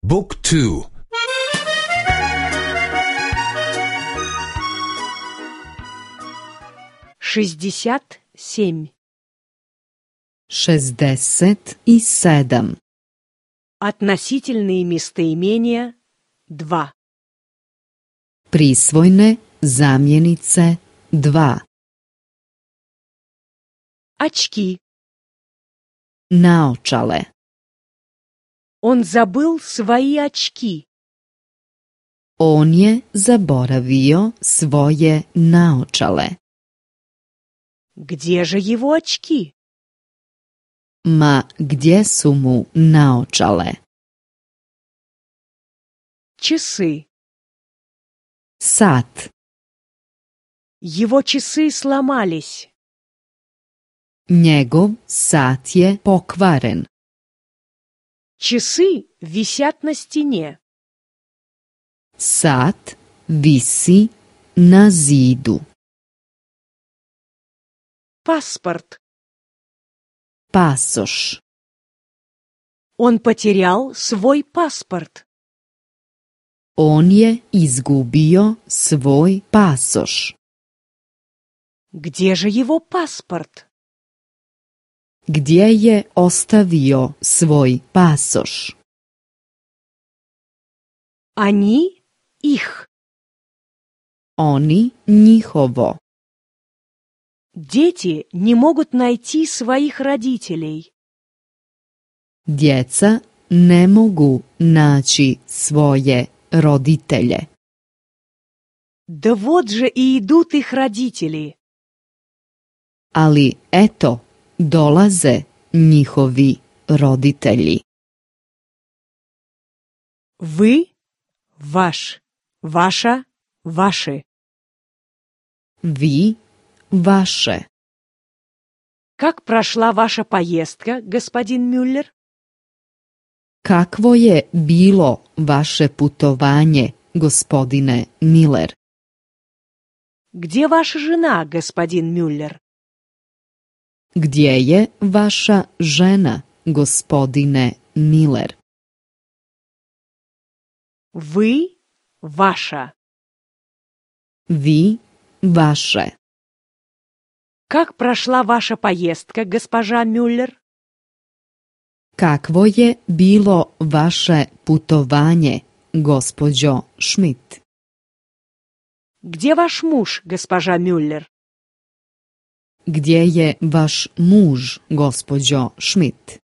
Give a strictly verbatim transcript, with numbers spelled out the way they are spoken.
Book two. шестьдесят семь. Šezdeset i sedam. Относительные местоимения два. Prisvojne zamjenice dva. Очки. Naočale. Он забыл свои очки. On je zaboravio svoje naočale. Где же его очки? Ma gdje su mu naočale? Часы. Sat. Его часы сломались. Njegov sat je pokvaren. Часы висят на стене. Sat visi na zidu. Паспорт. Pasoš. Он потерял свой паспорт. On je izgubio svoj pasoš. Где же его паспорт? Gdje je ostavio svoj pasoš? Они их. Oni njihovo. Дети не могут найти своих родителей. Djeca ne mogu naći svoje roditelje. Да вот же и идут их родители. Ali eto, dolaze njihovi roditelji. Вы, ваш, ваша, ваши. Vi, vaše. Как прошла ваша поездка, господин Мюллер? Kakvo je bilo vaše putovanje, gospodine Miller? Где ваша жена, господин Мюллер? Gdje je vaša žena, gospodine Miller? Вы, ваша. Vi, vaše. Как прошла ваша поездка, госпожа Мюллер? Kakvo je bilo vaše putovanje, gospođo Schmidt? Где ваш муж, госпожа Мюллер? Gdje je vaš muž, gospođo Schmidt?